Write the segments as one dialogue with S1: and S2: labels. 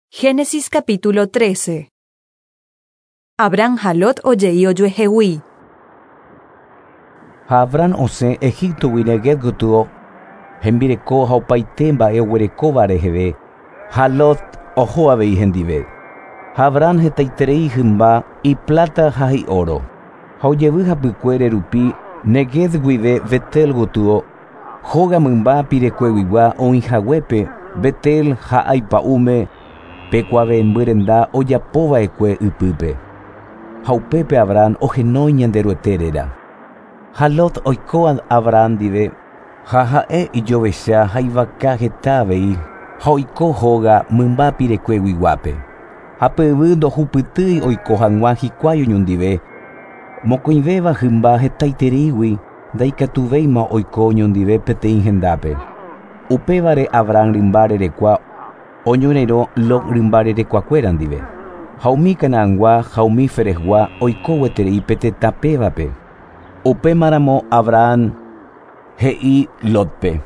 S1: Génesis capítulo 13. Abraham ha Lot ojei ojuehegui.
S2: Ha Abraham osẽ Egíptogui Neguev gotyo, hembireko ha opaite mba'e oguerekóva reheve, ha Lot oho avei hendive. Ha Abraham hetaiterei hymba, ipláta ha hi'óro. Ha ojevy hapykuere rupi Neguev guive Betel gotyo, hóga mymba pirekueguigua oĩhaguépe Betel ha Ai pa'ũme pe kuave'ẽmby renda ojapova'ekue ypýpe. Ha upépe Abraham ohenói Ñanderuete réra. Ha Lot oiko Abraham ndive ha ha'e ijovecha ha ivaka heta avei ha oiko hóga mymba pirekueguiguápe. Ha pe yvy ndohupytýi oiko hag̃ua hikuái oñondive, mokõivéva hymba hetaitereígui ndaikatuvéima oiko oñondive peteĩ hendápe. Upévare Abraham rymba rerekua oñorairõ Lot rymba rerekuakuéra ndive. Ha umi Canaangua ha umi Ferezgua oiko gueterei pe tetã pévape. Upémaramo Abraham he'i Lotpe: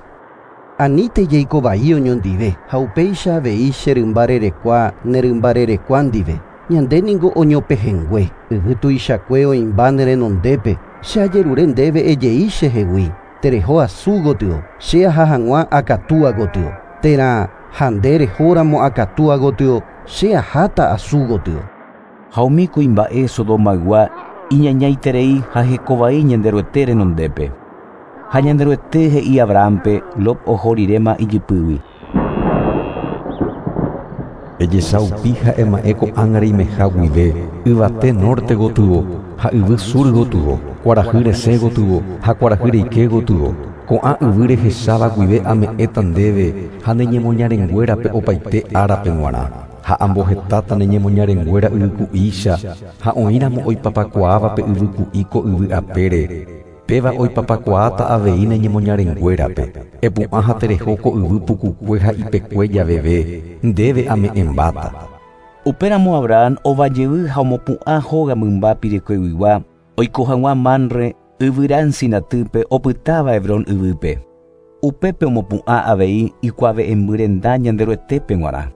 S3: Anítei jaiko vai oñondive ha upéicha avei che rymba rerekua ne rymba rerekua ndive. Ñande ningo oñopehẽngue, yvy tuichakue oĩmba ne renondépe, che ajerure ndéve ejei chehegui, tereho asu gotyo, che aha hag̃ua akatúa gotyo, térã ha nde rehóramo akatúa gotyo, che aháta asu gotyo.
S2: Ha umi kuimba'e Sodomaygua iñañaiterei ha hekovai Ñanderuete renondépe. Ha Ñanderuete he'i Abrahampe Lot oho riréma ijypýgui.
S4: Ejesaupi ha ema'ẽ ko'ág̃a reimeha guive, yvate norte gotyo ha yvy sur gotyo, kuarahy resẽ gotyo ha kuarahy reike gotyo. Ko'ã yvy rehecháva guive ame'ẽta ndéve ha ne ñemoñarenguérape opaite árape g̃uarã. Ha ambohetáta ne ñemoñarenguéra yvyku'ícha ha oĩramo oipapakuaáva pe yvyku'i ko yvy apére. Péva oipapakuaáta avei ne ñemoñarenguérape. Epu'ã ha tereho ko yvy pukukue ha ipekue javeve, ndéve ame'ẽmbáta.
S2: Upéramo Abraham ovajevy ha omopu'ã hóga mymba pirekueguigua oiko hag̃ua Mamre yvyra encinatýpe opytáva Hebrón yvýpe. Upépe omopu'ã avei ikuave'ẽmby renda Ñanderuetépe g̃uarã.